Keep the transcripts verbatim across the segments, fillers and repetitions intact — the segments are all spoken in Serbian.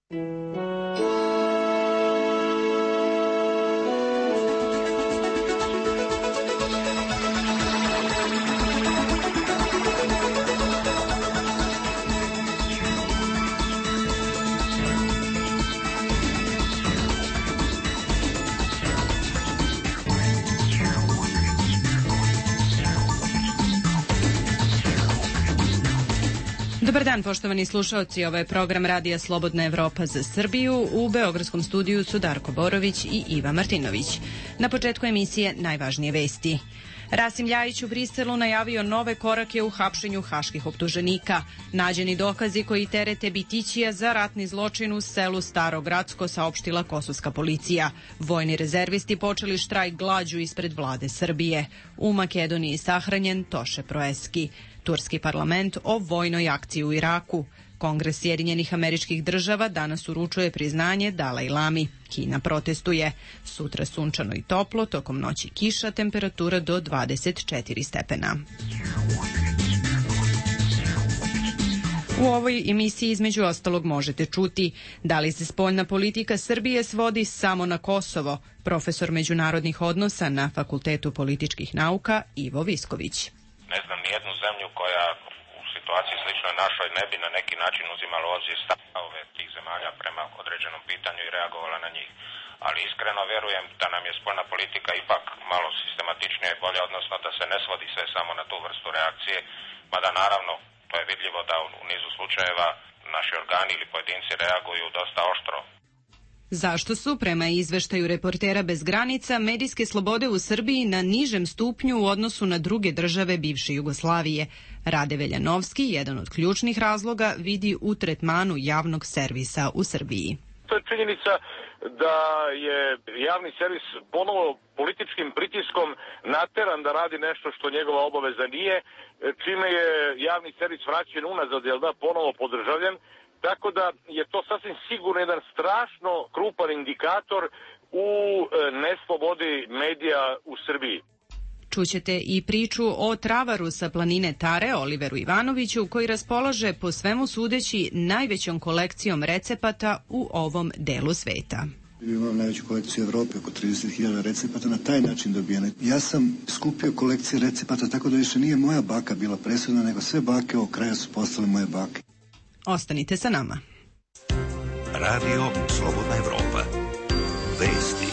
Dobar dan, poštovani slušaoci, ovo je program Radija Slobodna Evropa za Srbiju. U beogradskom studiju su Darko Borović i Iva Martinović. Na početku emisije najvažnije vesti. Rasim Ljajić u Briselu najavio nove korake u hapšenju haških optuženika. Nađeni dokazi koji terete Bitićija za ratni zločin u selu Staro Gradsko, saopštila kosovska policija. Vojni rezervisti počeli štrajk glađu ispred vlade Srbije. U Makedoniji sahranjen Toše Proeski. Turski parlament o vojnoj akciji u Iraku. Kongres Sjedinjenih Američkih Država danas uručuje priznanje Dalaj Lami. Kina protestuje. Sutra sunčano i toplo, tokom noći kiša, temperatura do dvadeset četiri stepena. U ovoj emisiji između ostalog možete čuti da li se spoljna politika Srbije svodi samo na Kosovo. Profesor međunarodnih odnosa na Fakultetu političkih nauka Ivo Visković. Ne znam nijednu zemlju koja u situaciji sličnoj našoj ne bi na neki način uzimala u obzir stavove tih zemalja prema određenom pitanju i reagovala na njih. Ali iskreno vjerujem da nam je spoljna politika ipak malo sistematičnija i bolja, odnosno da se ne svodi sve samo na tu vrstu reakcije, mada naravno to je vidljivo da u nizu slučajeva naši organi ili pojedinci reaguju dosta oštro. Zašto su, prema izveštaju Reportera bez granica, medijske slobode u Srbiji na nižem stupnju u odnosu na druge države bivše Jugoslavije? Rade Veljanovski, jedan od ključnih razloga, vidi u tretmanu javnog servisa u Srbiji. To je činjenica da je javni servis ponovo političkim pritiskom nateran da radi nešto što njegova obaveza nije, čime je javni servis vraćen unazad, jel da, ponovo podržavljen. Tako da je to sasvim sigurno jedan strašno krupan indikator u neslobodi medija u Srbiji. Čućete i priču o travaru sa planine Tare, Oliveru Ivanoviću, koji raspolaže po svemu sudeći najvećom kolekcijom recepata u ovom delu sveta. Imam najveću kolekciju u Evropi, oko trideset hiljada recepata na taj način dobijene. Ja sam skupio kolekcije recepata tako da više nije moja baka bila presudna, nego sve bake ovog kraja su postale moje bake. Ostanite sa nama. Radio Slobodna Evropa. Vesti.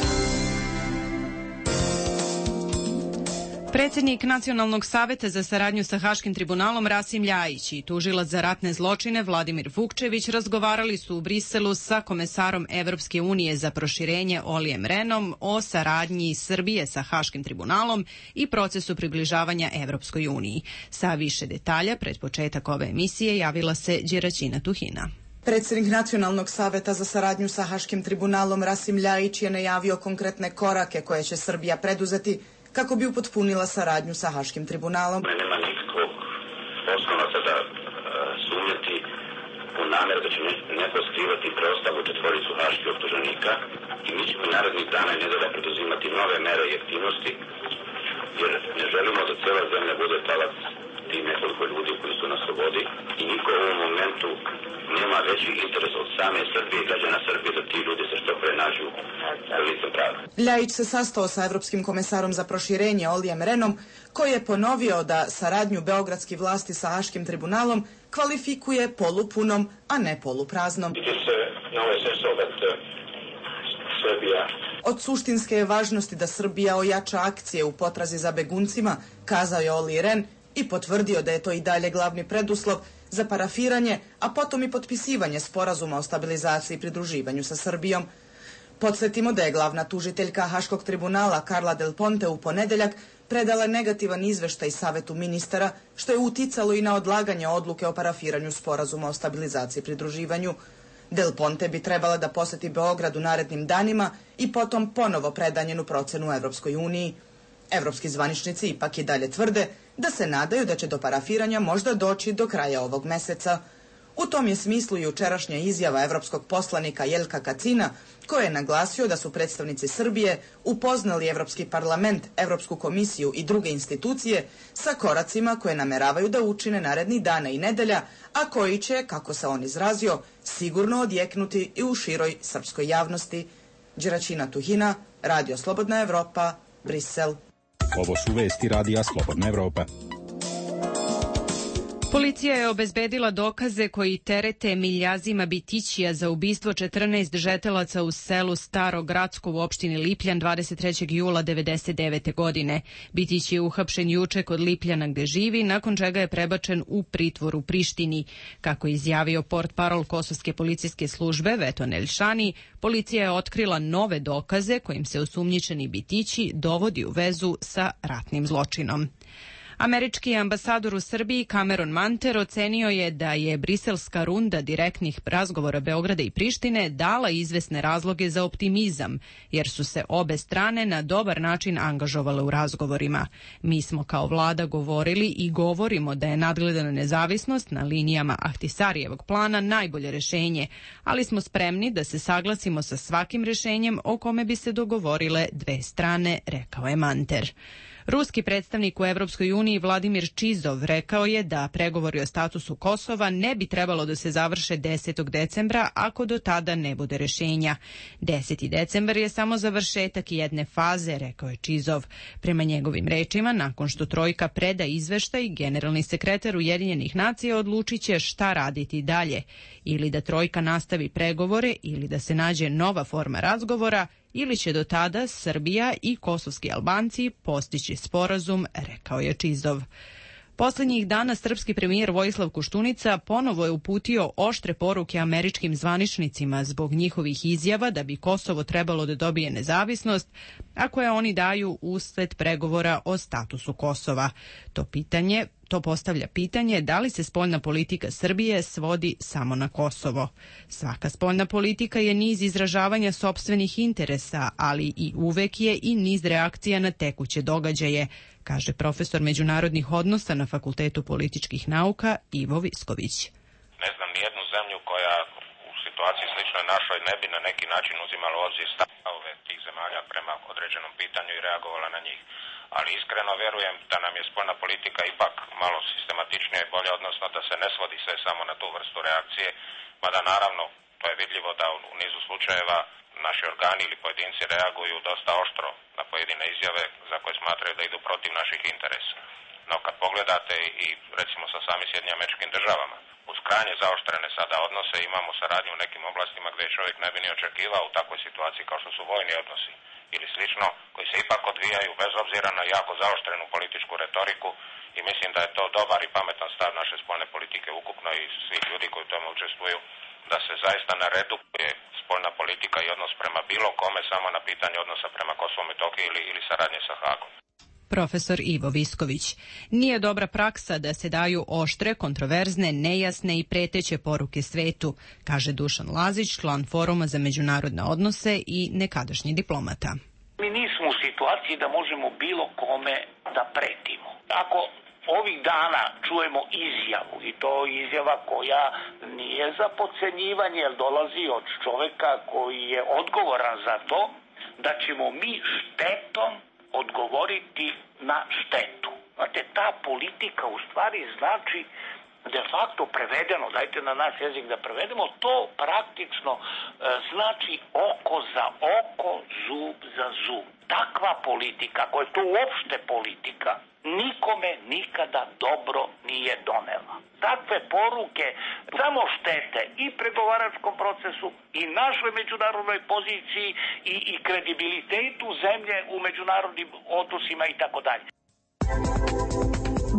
Predsjednik Nacionalnog saveta za saradnju sa Haškim tribunalom Rasim Ljajić i tužilac za ratne zločine Vladimir Vukčević razgovarali su u Briselu sa komesarom Evropske unije za proširenje Olijem Renom o saradnji Srbije sa Haškim tribunalom i procesu približavanja Evropskoj uniji. Sa više detalja pred početak ove emisije javila se Đeraćina Tuhina. Predsjednik Nacionalnog saveta za saradnju sa Haškim tribunalom Rasim Ljajić je najavio konkretne korake koje će Srbija preduzeti kako bi upotpunila saradnju sa Haškim tribunalom. Nema nikakvog osnova sada uh, sumnjati u namjeru da će neko skrivati preostalu četvoricu haških optuženika i mi ćemo narednih dana i nedelja preduzimati nove mere i aktivnosti, jer ne želimo da cijela zemlja bude talac tih nekoliko ljudi koji su na slobodi i niko u ovom momentu nema veći interes od same Srbije i građana Srbije da ti ljudi se što pre nađu na licu prava. Ljajić se sastao sa evropskim komesarom za proširenje Olijem Renom, koji je ponovio da saradnju beogradskih vlasti sa Haškim tribunalom kvalifikuje polupunom, a ne polupraznom. Od suštinske je važnosti da Srbija ojača akcije u potrazi za beguncima, kazao je Oli Ren i potvrdio da je to i dalje glavni preduslov za parafiranje, a potom i potpisivanje sporazuma o stabilizaciji i pridruživanju sa Srbijom. Podsjetimo da je glavna tužiteljka Haškog tribunala Carla Del Ponte u ponedeljak predala negativan izveštaj Savetu ministara, što je uticalo i na odlaganje odluke o parafiranju sporazuma o stabilizaciji i pridruživanju. Del Ponte bi trebala da poseti Beograd u narednim danima i potom ponovo preda njenu procenu u Evropskoj uniji. Evropski zvaničnici ipak i dalje tvrde da se nadaju da će do parafiranja možda doći do kraja ovog meseca. U tom je smislu i jučerašnja izjava evropskog poslanika Jelka Kacina, koji je naglasio da su predstavnici Srbije upoznali Evropski parlament, Evropsku komisiju i druge institucije sa koracima koje nameravaju da učine narednih dana i nedelja, a koji će, kako se on izrazio, sigurno odjeknuti i u široj srpskoj javnosti. Đeraćina Tuhina, Radio Slobodna Evropa, Brisel. Ovo su vesti Radija Slobodna Evropa. Policija je obezbedila dokaze koji terete Miljazima Bitićija za ubistvo četrnaest žetelaca u selu Staro Gradsko u opštini Lipljan dvadeset trećeg jula devedeset devete. godine. Bitić je uhapšen juče kod Lipljana gde živi, nakon čega je prebačen u pritvor u Prištini. Kako je izjavio portparol Kosovske policijske službe Veton Elšani, policija je otkrila nove dokaze kojim se osumnjičeni Bitići dovodi u vezu sa ratnim zločinom. Američki ambasador u Srbiji Cameron Manter ocenio je da je briselska runda direktnih razgovora Beograda i Prištine dala izvesne razloge za optimizam, jer su se obe strane na dobar način angažovale u razgovorima. Mi smo kao vlada govorili i govorimo da je nadgledana nezavisnost na linijama Ahtisarijevog plana najbolje rešenje, ali smo spremni da se saglasimo sa svakim rešenjem o kome bi se dogovorile dve strane, rekao je Manter. Ruski predstavnik u Evropskoj uniji Vladimir Čizov rekao je da pregovori o statusu Kosova ne bi trebalo da se završe desetog decembra ako do tada ne bude rešenja. deseti decembar je samo završetak jedne faze, rekao je Čizov. Prema njegovim rečima, nakon što trojka preda izveštaj, generalni sekretar Ujedinjenih nacija odlučit će šta raditi dalje. Ili da trojka nastavi pregovore ili da se nađe nova forma razgovora, ili će do tada Srbija i kosovski Albanci postići sporazum, rekao je Čizov. Poslednjih dana srpski premijer Vojislav Koštunica ponovo je uputio oštre poruke američkim zvaničnicima zbog njihovih izjava da bi Kosovo trebalo da dobije nezavisnost, a koje oni daju usled pregovora o statusu Kosova. To pitanje To postavlja pitanje da li se spoljna politika Srbije svodi samo na Kosovo. Svaka spoljna politika je niz izražavanja sopstvenih interesa, ali i uvek je i niz reakcija na tekuće događaje, kaže profesor međunarodnih odnosa na Fakultetu političkih nauka Ivo Visković. Ne znam nijednu zemlju koja u situaciji sličnoj našoj ne bi na neki način uzimala u obzir stavove tih zemalja prema određenom pitanju i reagovala na njih. Ali iskreno verujem da nam je spoljna politika ipak malo sistematičnija i bolja, odnosno da se ne svodi sve samo na tu vrstu reakcije, mada naravno to je vidljivo da u nizu slučajeva naši organi ili pojedinci reaguju dosta oštro na pojedine izjave za koje smatraju da idu protiv naših interesa. No kad pogledate i recimo sa samim Sjedinjenim Američkim Državama, uz krajnje zaoštrene sada odnose imamo saradnju u nekim oblastima gdje čovjek ne bi ni očekivao u takvoj situaciji kao što su vojni odnosi ili slično, koji se ipak odvijaju bez obzira na jako zaoštrenu političku retoriku i mislim da je to dobar i pametan stav naše spoljne politike ukupno i svih ljudi koji u tome učestvuju, da se zaista ne redukuje spoljna politika i odnos prema bilo kome samo na pitanje odnosa prema Kosovu i Metohiji ili, ili saradnje sa Hagom. Profesor Ivo Visković. Nije dobra praksa da se daju oštre, kontroverzne, nejasne i preteće poruke svetu, kaže Dušan Lazić, član Foruma za međunarodne odnose i nekadašnji diplomata. Mi nismo u situaciji da možemo bilo kome da pretimo. Ako ovih dana čujemo izjavu, i to izjava koja nije za podcenjivanje, jer dolazi od čoveka koji je odgovoran za to, da ćemo mi štetom odgovoriti na štetu. Znate, ta politika u stvari znači de facto prevedeno, dajte na naš jezik da prevedemo, to praktično e, znači oko za oko, zub za zub. Takva politika, ako je to uopšte politika, nikome nikada dobro nije donela. Takve poruke samo štete i pregovaračkom procesu i našoj međunarodnoj poziciji i, i kredibilitetu zemlje u međunarodnim odnosima i tako dalje.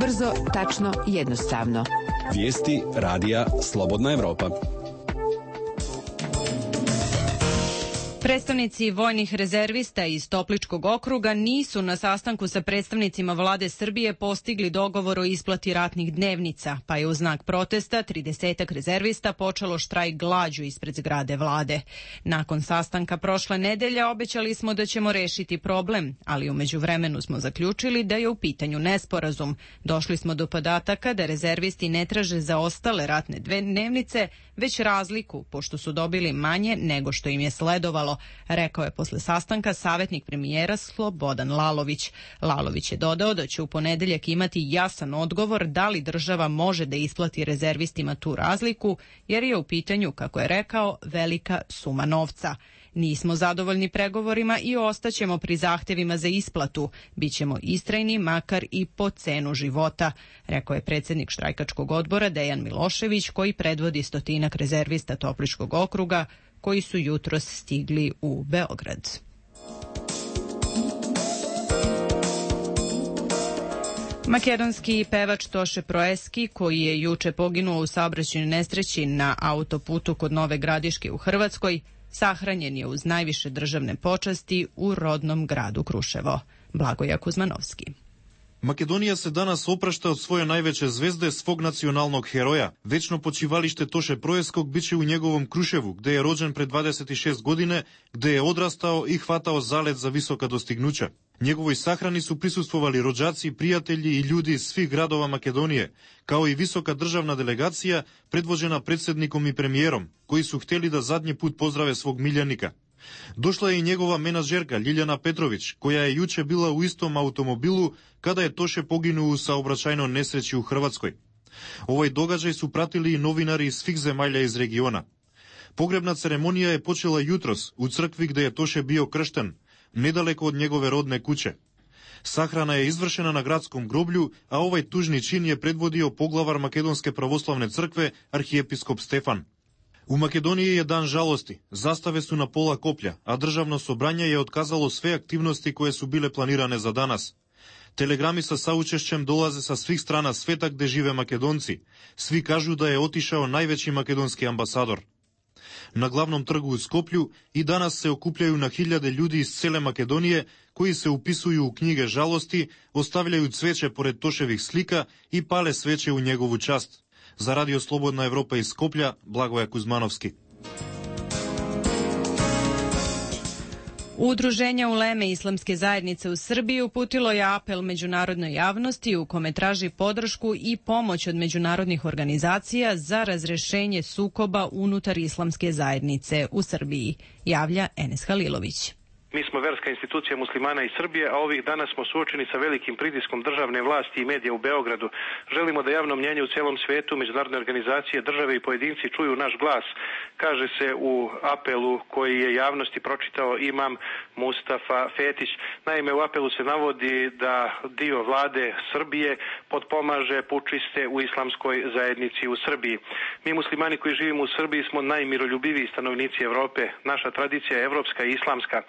Brzo, tačno, jednostavno. Vijesti Radija Slobodna Evropa. Predstavnici vojnih rezervista iz Topličkog okruga nisu na sastanku sa predstavnicima vlade Srbije postigli dogovor o isplati ratnih dnevnica, pa je u znak protesta tridesetak rezervista počelo štrajk glađu ispred zgrade vlade. Nakon sastanka prošle nedelje obećali smo da ćemo rešiti problem, ali u međuvremenu smo zaključili da je u pitanju nesporazum. Došli smo do podataka da rezervisti ne traže za ostale ratne dnevnice, već razliku, pošto su dobili manje nego što im je sledovalo, rekao je posle sastanka savjetnik premijera Slobodan Lalović. Lalović je dodao da će u ponedeljak imati jasan odgovor da li država može da isplati rezervistima tu razliku, jer je u pitanju, kako je rekao, velika suma novca. Nismo zadovoljni pregovorima i ostaćemo pri zahtevima za isplatu. Bićemo istrajni makar i po cenu života, rekao je predsjednik štrajkačkog odbora Dejan Milošević, koji predvodi stotinak rezervista Topličkog okruga koji su jutros stigli u Beograd. Makedonski pevač Toše Proeski, koji je juče poginuo u saobraćajnoj nesreći na autoputu kod Nove Gradiške u Hrvatskoj, sahranjen je uz najviše državne počasti u rodnom gradu Kruševo. Blagoja Kuzmanovski. Македонија се данас опрашта од своја највеќе звезде, свог националног хероја. Вечно почивалиште Тоше Проескок биче у неговом Крушеву, где е роđен пред дваесет и шест године, где е одрастао и хватао залет за висока достигнуќа. Неговој сахрани су присуствували роđаци, пријатели и људи из свих градова Македонije, као и висока државна делегација предвожена председником и премиером, кои су хтели да задњи пут поздраве свог милјаника. Дошла е и негова менаџерка Лилјана Петровиќ, која е јуче била у истом автомобилу када е Тоше погинул у саобраќајно несреќи у Хрватској. Овој догаѓај су пратили и новинари из свих земаља из региона. Погребна церемонија е почела јутрос у цркви где е Тоше био крштен, недалеко од негове родне куќе. Сахрана е извршена на градском гроблју, а овој тужни чин е предводио поглавар Македонске православне цркве архиепископ Стефан. У Македонија е дан жалости, заставе су на пола коплја, а државно собрање е отказало све активности кои су биле планиране за данас. Телеграми со саучешќем долазе со свих страна света где живе македонци. Сви кажу да е отишао највеќи македонски амбасадор. На главном тргу у Скопју и данас се окупљају на хилјаде људи из целе Македонија, кои се уписују у книге жалости, остављају цвече поред Тошевих слика и пале свече у негову част. За Радио Слободна Европа из Скопја, Благоја Кузмановски. Udruženje Uleme Islamske zajednice u Srbiji uputilo je apel međunarodnoj javnosti u kome traži podršku i pomoć od međunarodnih organizacija za razrešenje sukoba unutar Islamske zajednice u Srbiji, javlja Enes Halilović. Mi smo verska institucija muslimana iz Srbije, a ovih dana smo suočeni sa velikim pritiskom državne vlasti i medija u Beogradu. Želimo da javno mnjenje u celom svetu, međunarodne organizacije, države i pojedinci čuju naš glas, kaže se u apelu koji je javnosti pročitao imam Mustafa Fetić. Naime, u apelu se navodi da dio vlade Srbije potpomaže pučiste u islamskoj zajednici u Srbiji. Mi muslimani koji živimo u Srbiji smo najmiroljubiviji stanovnici Evrope. Naša tradicija je evropska i islamska.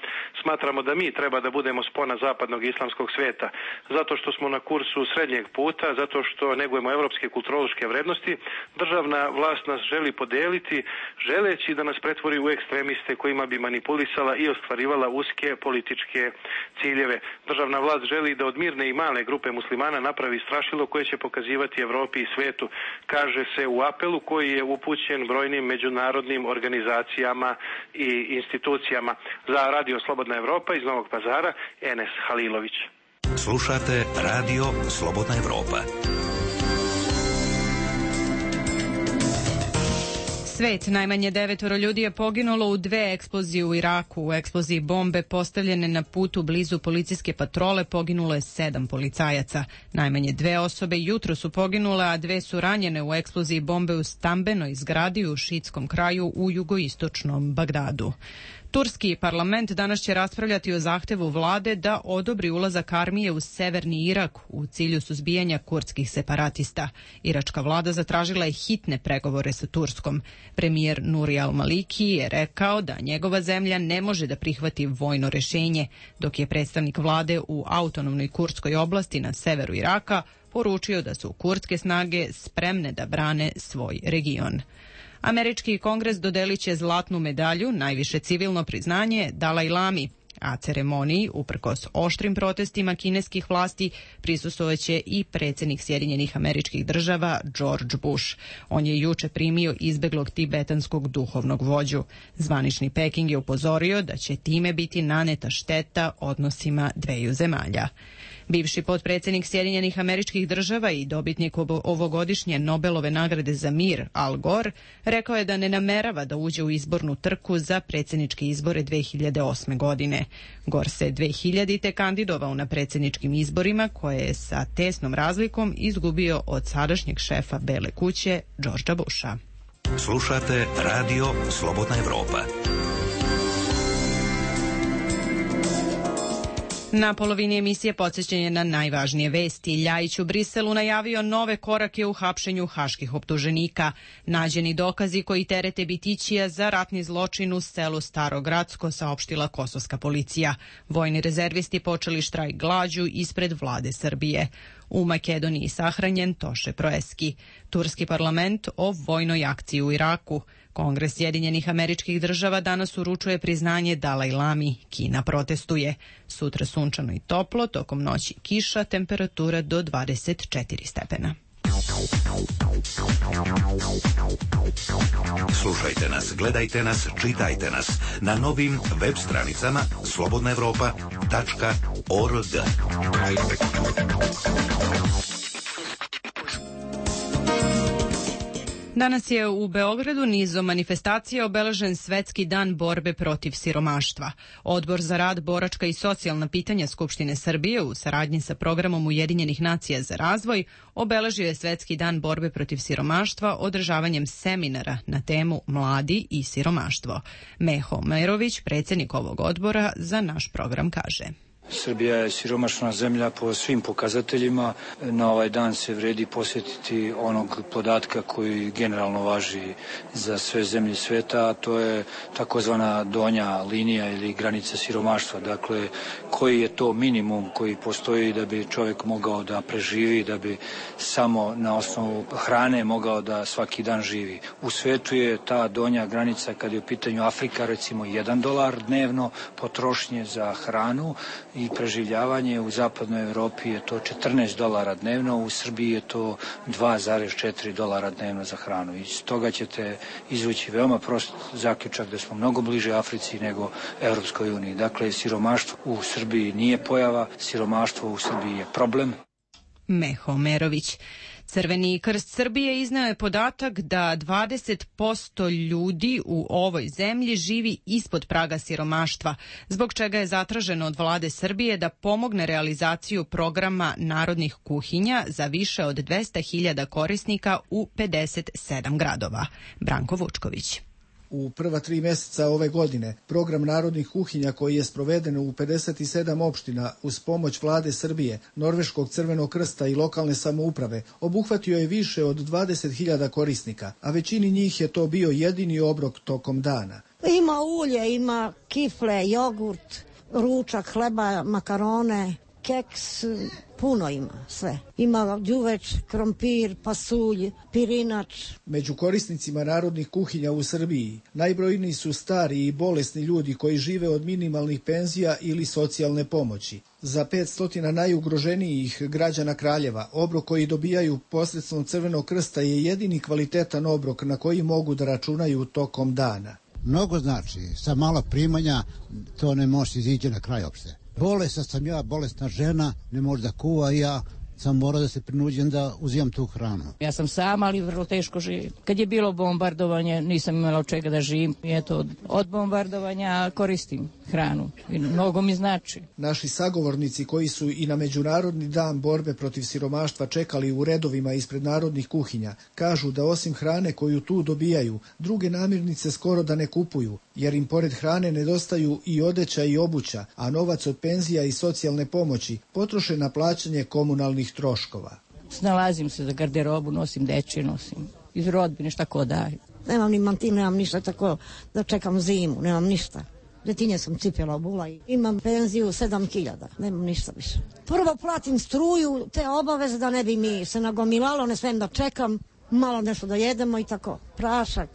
Smatramo da mi treba da budemo spona zapadnog islamskog sveta, zato što smo na kursu srednjeg puta, zato što negujemo evropske kulturološke vrednosti. Državna vlast nas želi podeliti, želeći da nas pretvori u ekstremiste kojima bi manipulisala i ostvarivala uske političke ciljeve. Državna vlast želi da od mirne i male grupe muslimana napravi strašilo koje će pokazivati Evropi i svetu, kaže se u apelu koji je upućen brojnim međunarodnim organizacijama i institucijama. Za Radio Slobodna Evropa iz Novog Pazara, Enes Halilović. Slušate Radio Slobodna Evropa. Svet, najmanje devetoro ljudi je poginulo u dve eksplozije u Iraku. U eksploziji bombe postavljene na putu blizu policijske patrole poginulo je sedam policajaca. Najmanje dve osobe jutro su poginule, a dve su ranjene u eksploziji bombe u stambenoj zgradi u šiitskom kraju u jugoistočnom Bagdadu. Turski parlament danas će raspravljati o zahtevu vlade da odobri ulazak armije u severni Irak u cilju suzbijanja kurdskih separatista. Iračka vlada zatražila je hitne pregovore sa Turskom. Premijer Nuri al-Maliki je rekao da njegova zemlja ne može da prihvati vojno rešenje, dok je predstavnik vlade u autonomnoj kurdskoj oblasti na severu Iraka poručio da su kurdske snage spremne da brane svoj region. Američki kongres dodelit će zlatnu medalju, najviše civilno priznanje, Dalaj Lami, a ceremoniji, uprkos oštrim protestima kineskih vlasti, prisustvovaće i predsjednik Sjedinjenih Američkih Država George Bush. On je juče primio izbeglog tibetanskog duhovnog vođu. Zvanični Peking je upozorio da će time biti naneta šteta odnosima dveju zemalja. Bivši potpredsjednik Sjedinjenih Američkih Država i dobitnik ovogodišnje Nobelove nagrade za mir, Al Gore, rekao je da ne namerava da uđe u izbornu trku za predsjedničke izbore dve hiljade osme. godine. Gore se dve hiljadite. kandidovao na predsjedničkim izborima koje je sa tesnom razlikom izgubio od sadašnjeg šefa Bele kuće, Georgea Busha. Slušate Radio Slobodna Evropa. Na polovini emisije podsjećanje na najvažnije vesti. Ljajić u Briselu najavio nove korake u hapšenju haških optuženika. Nađeni dokazi koji terete Bitićija za ratni zločin u selu Starogradsko, saopštila kosovska policija. Vojni rezervisti počeli štrajk glađu ispred vlade Srbije. U Makedoniji sahranjen Toše Proeski. Turski parlament o vojnoj akciji u Iraku. Kongres Sjedinjenih Američkih Država danas uručuje priznanje Dalaj Lami. Kina protestuje. Sutra sunčano i toplo, tokom noći kiša, temperatura do dvadeset četiri stepena. Slušajte nas, gledajte nas, čitajte nas na novim web stranicama slobodna evropa tačka org. Danas je u Beogradu nizom manifestacija obeležen Svetski dan borbe protiv siromaštva. Odbor za rad, boračka i socijalna pitanja Skupštine Srbije u saradnji sa programom Ujedinjenih nacija za razvoj obeležio je Svetski dan borbe protiv siromaštva održavanjem seminara na temu Mladi i siromaštvo. Meho Merović, predsjednik ovog odbora, za naš program kaže: Srbija je siromašna zemlja po svim pokazateljima. Na ovaj dan se vredi posjetiti onog podatka koji generalno važi za sve zemlje sveta, a to je takozvana donja linija ili granica siromaštva. Dakle, koji je to minimum koji postoji da bi čovjek mogao da preživi, da bi samo na osnovu hrane mogao da svaki dan živi. U svetu je ta donja granica, kad je u pitanju Afrika, recimo jedan dolar dnevno potrošnje za hranu, i preživljavanje. U zapadnoj Evropi je to četrnaest dolara dnevno, u Srbiji je to dva zarez četiri dolara dnevno za hranu. Iz toga ćete izvući veoma prost zaključak da smo mnogo bliže Africi nego Evropskoj uniji. Dakle, siromaštvo u Srbiji nije pojava, siromaštvo u Srbiji je problem. Meho Merović. Crveni krst Srbije izneo je podatak da dvadeset posto ljudi u ovoj zemlji živi ispod praga siromaštva, zbog čega je zatraženo od vlade Srbije da pomogne realizaciju programa narodnih kuhinja za više od dvesta hiljada korisnika u pedeset sedam gradova. Branko Vučković. U prva tri mjeseca ove godine program narodnih kuhinja koji je sproveden u pedeset sedam opština uz pomoć vlade Srbije, Norveškog crvenog krsta i lokalne samouprave obuhvatio je više od dvadeset hiljada korisnika, a većini njih je to bio jedini obrok tokom dana. Ima ulje, ima kifle, jogurt, ručak, hleba, makarone, keks, puno ima sve. Ima đuveč, krompir, pasulj, pirinač. Među korisnicima narodnih kuhinja u Srbiji najbrojniji su stari i bolesni ljudi koji žive od minimalnih penzija ili socijalne pomoći. Za petsto najugroženijih građana Kraljeva obrok koji dobijaju posredstvom Crvenog krsta je jedini kvalitetan obrok na koji mogu da računaju tokom dana. Mnogo znači, sa malo primanja to ne može izići na kraj opšte. Bolesna sam ja, bolesna žena, ne može da kuva i ja sam morao da se prinuđem da uzimam tu hranu. Ja sam sama, ali vrlo teško živim. Kad je bilo bombardovanje, nisam imala od čega da živim. Eto, od, od bombardovanja koristim hranu i mnogo mi znači. Naši sagovornici koji su i na Međunarodni dan borbe protiv siromaštva čekali u redovima ispred narodnih kuhinja, kažu da osim hrane koju tu dobijaju, druge namirnice skoro da ne kupuju, jer im pored hrane nedostaju i odeća i obuća, a novac od penzija i socijalne pomoći potroše na plaćanje komunalnih troškova. Snalazim se za garderobu, nosim deči, nosim iz rodbine šta ko daju. Nemam ni mantil, nemam ništa, tako da čekam zimu, nemam ništa. Detinje sam cipjela obula i imam penziju sedam hiljada, nemam ništa više. Prvo platim struju, te obaveze da ne bi mi se nagomilalo, ne smijem da čekam, malo nešto da jedemo i tako. Prašak,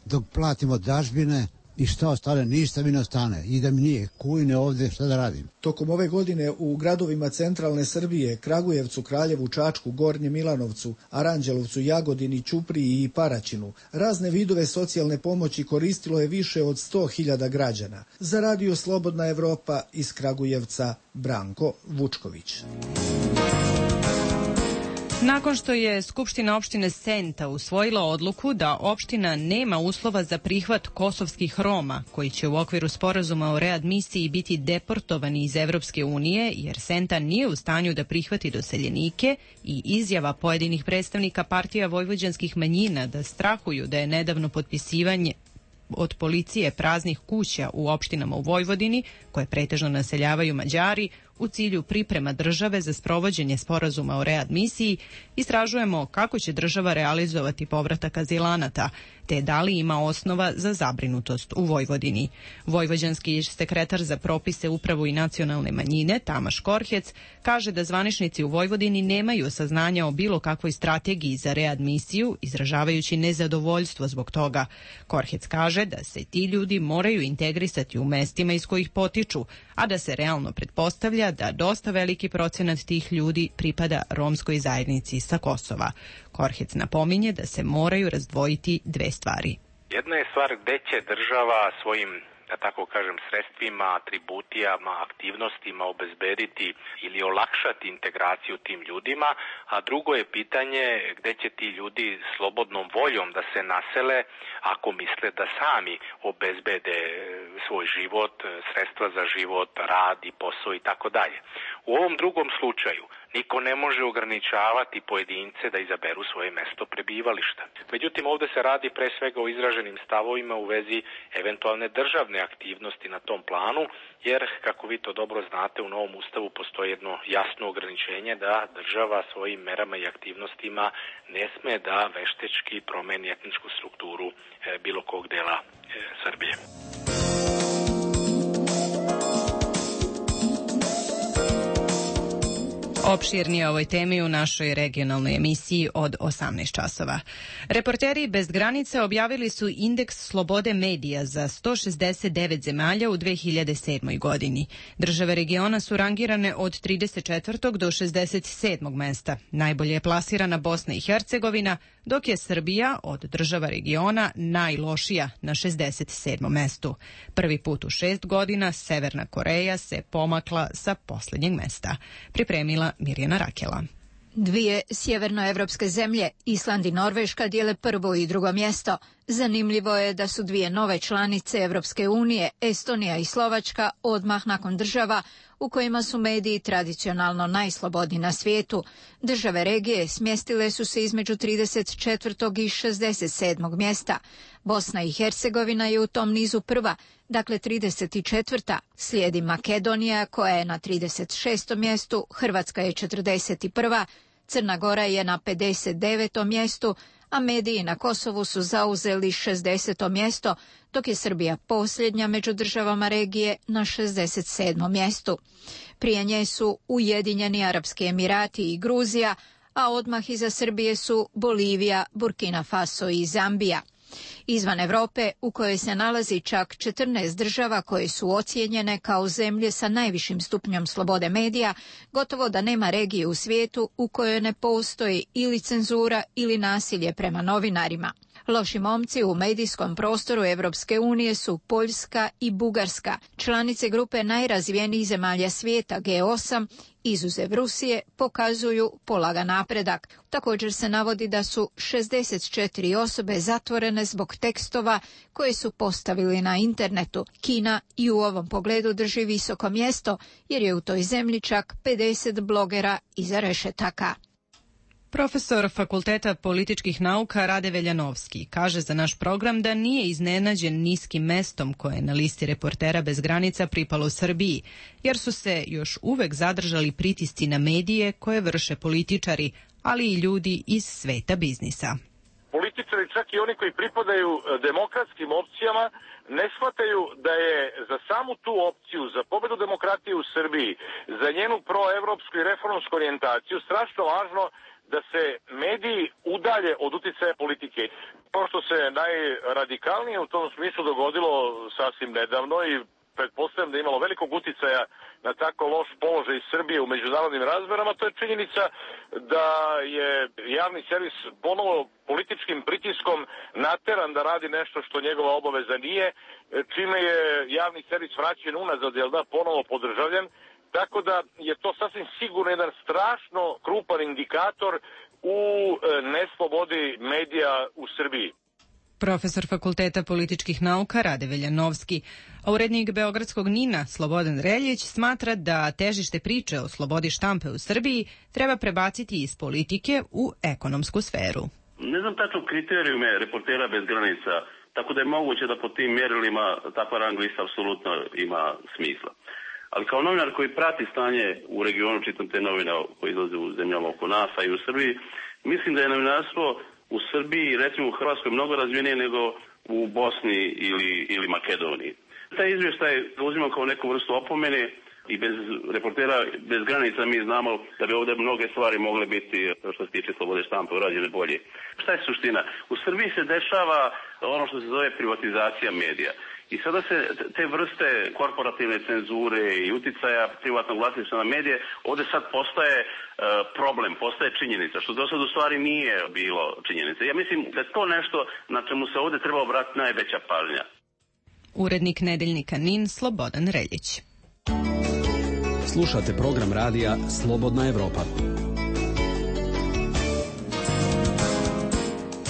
dok platimo dažbine i šta ostane, ništa mi ne ostane. I da mi nije kujne ovde, šta da radim. Tokom ove godine u gradovima centralne Srbije, Kragujevcu, Kraljevu, Čačku, Gornjem Milanovcu, Aranđelovcu, Jagodini, Ćupriji i Paraćinu, razne vidove socijalne pomoći koristilo je više od sto hiljada građana. Za Radio Slobodna Evropa iz Kragujevca, Branko Vučković. Nakon što je Skupština opštine Senta usvojila odluku da opština nema uslova za prihvat kosovskih Roma, koji će u okviru sporazuma o readmisiji biti deportovani iz Evropske unije, jer Senta nije u stanju da prihvati doseljenike, i izjava pojedinih predstavnika partija vojvođanskih manjina da strahuju da je nedavno potpisivanje od policije praznih kuća u opštinama u Vojvodini, koje pretežno naseljavaju Mađari, u cilju priprema države za sprovođenje sporazuma o readmisiji, istražujemo kako će država realizovati povratak azilanata, te da li ima osnova za zabrinutost u Vojvodini. Vojvođanski sekretar za propise, upravu i nacionalne manjine, Tamaš Korhec, kaže da zvaničnici u Vojvodini nemaju saznanja o bilo kakvoj strategiji za readmisiju, izražavajući nezadovoljstvo zbog toga. Korhec kaže da se ti ljudi moraju integrisati u mestima iz kojih potiču, a da se realno pretpostavlja da dosta veliki procenat tih ljudi pripada romskoj zajednici sa Kosova. Korhec napominje da se moraju razdvojiti dve stvari. Jedna je stvar gde će država svojim, da tako kažem, sredstvima, atributijama, aktivnostima obezbediti ili olakšati integraciju tim ljudima, a drugo je pitanje gde će ti ljudi slobodnom voljom da se nasele ako misle da sami obezbede svoj život, sredstva za život, rad i posao i tako dalje. U ovom drugom slučaju niko ne može ograničavati pojedince da izaberu svoje mesto prebivališta. Međutim, ovde se radi pre svega o izraženim stavovima u vezi eventualne državne aktivnosti na tom planu, jer, kako vi to dobro znate, u novom ustavu postoji jedno jasno ograničenje da država svojim merama i aktivnostima ne sme da veštečki promeni etničku strukturu e, bilo kog dela e, Srbije. Opširnije o ovoj temi u našoj regionalnoj emisiji od osamnaest časova. Reporteri bez granica objavili su indeks slobode medija za sto šezdeset devet zemalja u dve hiljade sedmoj. godini. Države regiona su rangirane od trideset četvrtog do šezdeset sedmog mesta. Najbolje je plasirana Bosna i Hercegovina, dok je Srbija od država regiona najlošija na šezdeset sedmom mestu. Prvi put u šest godina Severna Koreja se pomakla sa poslednjeg mesta. Pripremila Mirjana Rakela. Dvije sjevernoevropske zemlje, Island i Norveška, dijele prvo i drugo mjesto. Zanimljivo je da su dvije nove članice Evropske unije, Estonija i Slovačka, odmah nakon država u kojima su mediji tradicionalno najslobodniji na svijetu. Države regije smjestile su se između trideset četvrtog i šezdeset sedmog mjesta. Bosna i Hercegovina je u tom nizu prva, dakle trideset četvrta. Slijedi Makedonija koja je na trideset šestom mjestu, Hrvatska je četrdeset prva, Crna Gora je na pedeset devetom mjestu, a mediji na Kosovu su zauzeli šezdeseto mjesto, dok je Srbija posljednja među državama regije na šezdeset sedmom mjestu. Prije nje su Ujedinjeni Arapski Emirati i Gruzija, a odmah iza Srbije su Bolivija, Burkina Faso i Zambija. Izvan Europe, u kojoj se nalazi čak četrnaest država koje su ocijenjene kao zemlje sa najvišim stupnjom slobode medija, gotovo da nema regije u svijetu u kojoj ne postoji ili cenzura ili nasilje prema novinarima. Loši momci u medijskom prostoru Evropske unije su Poljska i Bugarska, članice grupe najrazvijenijih zemalja svijeta G osam, izuzev Rusije, pokazuju polagan napredak. Također se navodi da su šezdeset četiri osobe zatvorene zbog tekstova koje su postavili na internetu. Kina i u ovom pogledu drži visoko mjesto jer je u toj zemlji čak pedeset blogera iza rešetaka. Profesor Fakulteta političkih nauka Rade Veljanovski kaže za naš program da nije iznenađen niskim mestom koje je na listi Reportera bez granica pripalo Srbiji, jer su se još uvek zadržali pritisci na medije koje vrše političari, ali i ljudi iz sveta biznisa. Političari, čak i oni koji pripadaju demokratskim opcijama, ne shvataju da je za samu tu opciju, za pobedu demokratije u Srbiji, za njenu proevropsku i reformsku orijentaciju strašno važno da se mediji udalje od uticaja politike. To što se najradikalnije u tom smislu dogodilo sasvim nedavno i pretpostavljam da je imalo velikog uticaja na tako loš položaj Srbije u međunarodnim razmerama, to je činjenica da je javni servis ponovo političkim pritiskom nateran da radi nešto što njegova obaveza nije, čime je javni servis vraćen unazad, jel da, ponovo podržavljen, tako da je to sasvim sigurno jedan strašno krupan indikator u neslobodi medija u Srbiji. Profesor Fakulteta političkih nauka Rade Veljanovski, a urednik beogradskog Nina Slobodan Reljić smatra da težište priče o slobodi štampe u Srbiji treba prebaciti iz politike u ekonomsku sferu. Ne znam tačno kriterijume Reportera bez granica, tako da je moguće da po tim mjerilima takva rang lista apsolutno ima smisla. Ali kao novinar koji prati stanje u regionu, čitam te novine koje izlaze u zemljama oko nas, a i u Srbiji, mislim da je novinarstvo u Srbiji, recimo u Hrvatskoj, mnogo razvijenije nego u Bosni ili, ili Makedoniji. Taj izvještaj uzimam kao neku vrstu opomene i bez Reportera bez granica mi znamo da bi ovdje mnoge stvari mogle biti, što se tiče slobode štampe, urađene bolje. Šta je suština? U Srbiji se dešava ono što se zove privatizacija medija. I sada se te vrste korporativne cenzure i uticaja privatnog vlasništva na medije ovdje sad postaje e, problem, postaje činjenica, što do sad u stvari nije bilo činjenica. Ja mislim da je to nešto na čemu se ovdje treba obratiti najveća pažnja. Urednik nedeljnika Nin Slobodan Reljić. Slušate program radija Slobodna Evropa.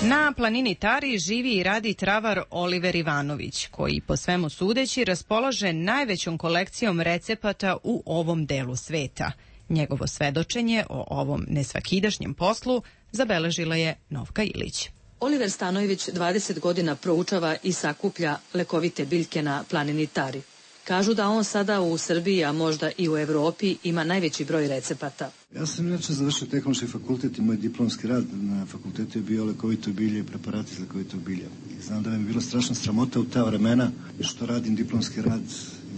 Na planini Tari živi i radi travar Oliver Ivanović, koji po svemu sudeći raspolaže najvećom kolekcijom recepata u ovom delu sveta. Njegovo svedočenje o ovom nesvakidašnjem poslu zabeležila je Novka Ilić. Oliver Stanojević dvadeset godina proučava i sakuplja lekovite biljke na planini Tari. Kažu da on sada u Srbiji, a možda i u Evropi, ima najveći broj recepata. Ja sam inače završio tehnološki fakultet i moj diplomski rad na fakultetu je bio lekovito bilje i preparati iz lekovitog bilja. I znam da mi je bilo strašno sramota u ta vremena što radim diplomski rad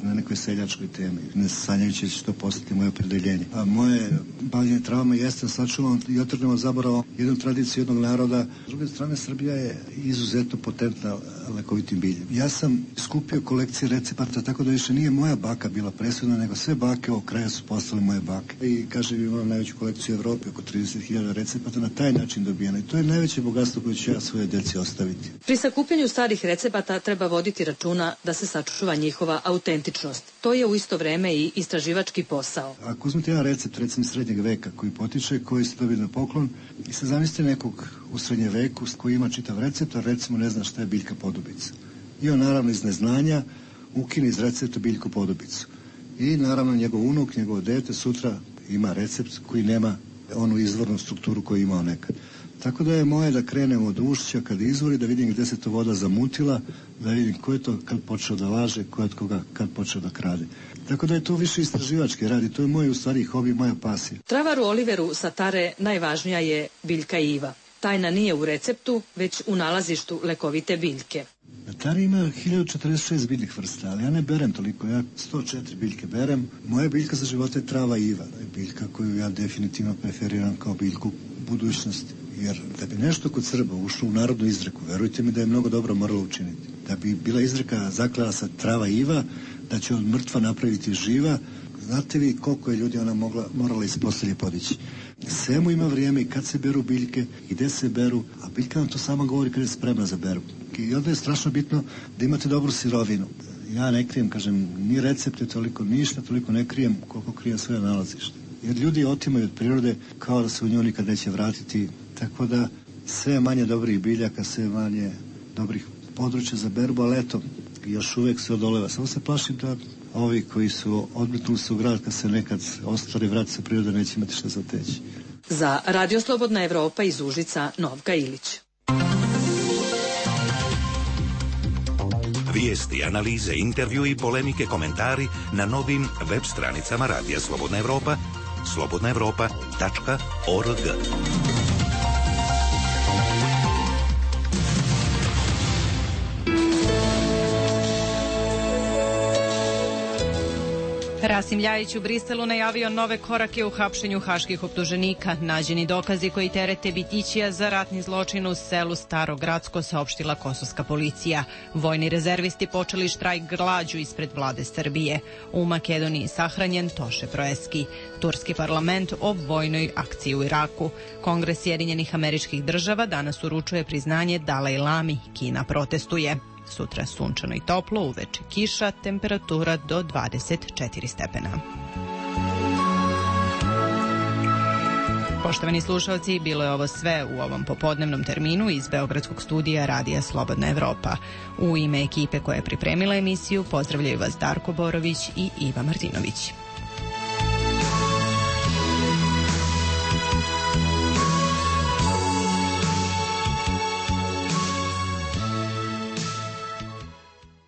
na nekoj seljačkoj temi, ne sanjajući da će to postati moje opredeljenje. A moje bavljenje travama jeste sačuvamo i otrgnemo zaboravom jednu tradiciju jednog naroda. S druge strane, Srbija je izuzetno potentna lekovitim biljem. Ja sam skupio kolekcije recepata, tako da više nije moja baka bila presudna, nego sve bake ovog kraja su postale moje bake. I kažem, imam najveću kolekciju u Evropi, oko trideset hiljada recepata na taj način dobijena. I to je najveće bogatstvo koje ću ja svoje djeci ostaviti. Pri sakupljanju starih recepata treba voditi računa da se sačuva njihova autentičnost. To je u isto vreme i istraživački posao. Ako uzmete jedan recept, recimo srednjeg veka, koji potiče, koji se dobije na poklon, i se zamislite nekog u srednjem veku koji ima čitav recept, a recimo ne zna šta je biljka podobica. I on naravno iz neznanja ukine iz recepta biljku podobicu. I naravno njegov unuk, njegovo dete sutra ima recept koji nema onu izvornu strukturu koju je imao nekad. Tako da je moje da krenem od ušća kad izvori, da vidim gdje se to voda zamutila, da vidim ko je to kad počeo da laže, ko je od koga kad počeo da krade. Tako da je to više istraživački rad i to je moj u stvari hobi, moja pasija. Travaru Oliveru sa Tare najvažnija je biljka iva. Tajna nije u receptu, već u nalazištu lekovite biljke. Na Tari ima hiljadu četrdeset šest biljnih vrsta, ali ja ne berem toliko, ja sto četiri biljke berem. Moja biljka za života je trava iva, je biljka koju ja definitivno preferiram kao biljku budućnosti. Jer da bi nešto kod Srba ušlo u narodnu izreku, verujte mi da je mnogo dobro moralo učiniti. Da bi bila izreka zaklela sa trava iva, da će od mrtva napraviti živa, znate vi koliko je ljudi ona mogla, morala iz postelje podići. Svemu ima vrijeme i kad se beru biljke, i gde se beru, a biljka nam to sama govori kad je spremna za beru. I onda je strašno bitno da imate dobru sirovinu. Ja ne krijem, kažem, ni recepte toliko, ništa toliko ne krijem koliko krijem svoje nalazište. Jer ljudi otimaju od prirode kao da se u nju nikad neće vratiti. Tako da sve manje dobrih biljaka, sve manje dobrih područja za berbu, ali eto, još uvijek se odoleva. Samo se plašim da ovi koji su odmetnuli se u grad, kad se nekad ostvari vrat sa prirode, neće imati šta za teći. Za Radio Slobodna Evropa iz Užica, Novka Ilić. Vijesti, analize, intervju i polemike, komentari na novim web stranicama Radija Slobodna Evropa, slobodna evropa tačka org. Rasim Ljajić u Briselu najavio nove korake u hapšenju haških optuženika. Nađeni dokazi koji terete Bitićija za ratni zločin u selu Staro Gradsko, saopštila kosovska policija. Vojni rezervisti počeli štrajk glađu ispred vlade Srbije. U Makedoniji sahranjen Toše Proeski. Turski parlament o vojnoj akciji u Iraku. Kongres Sjedinjenih Američkih Država danas uručuje priznanje Dalaj Lami. Kina protestuje. Sutra sunčano i toplo, uveče kiša, temperatura do dvadeset četiri stepena. Poštovani slušalci, bilo je ovo sve u ovom popodnevnom terminu iz Beogradskog studija Radija Slobodna Evropa. U ime ekipe koja je pripremila emisiju pozdravljaju vas Darko Borović i Iva Martinović.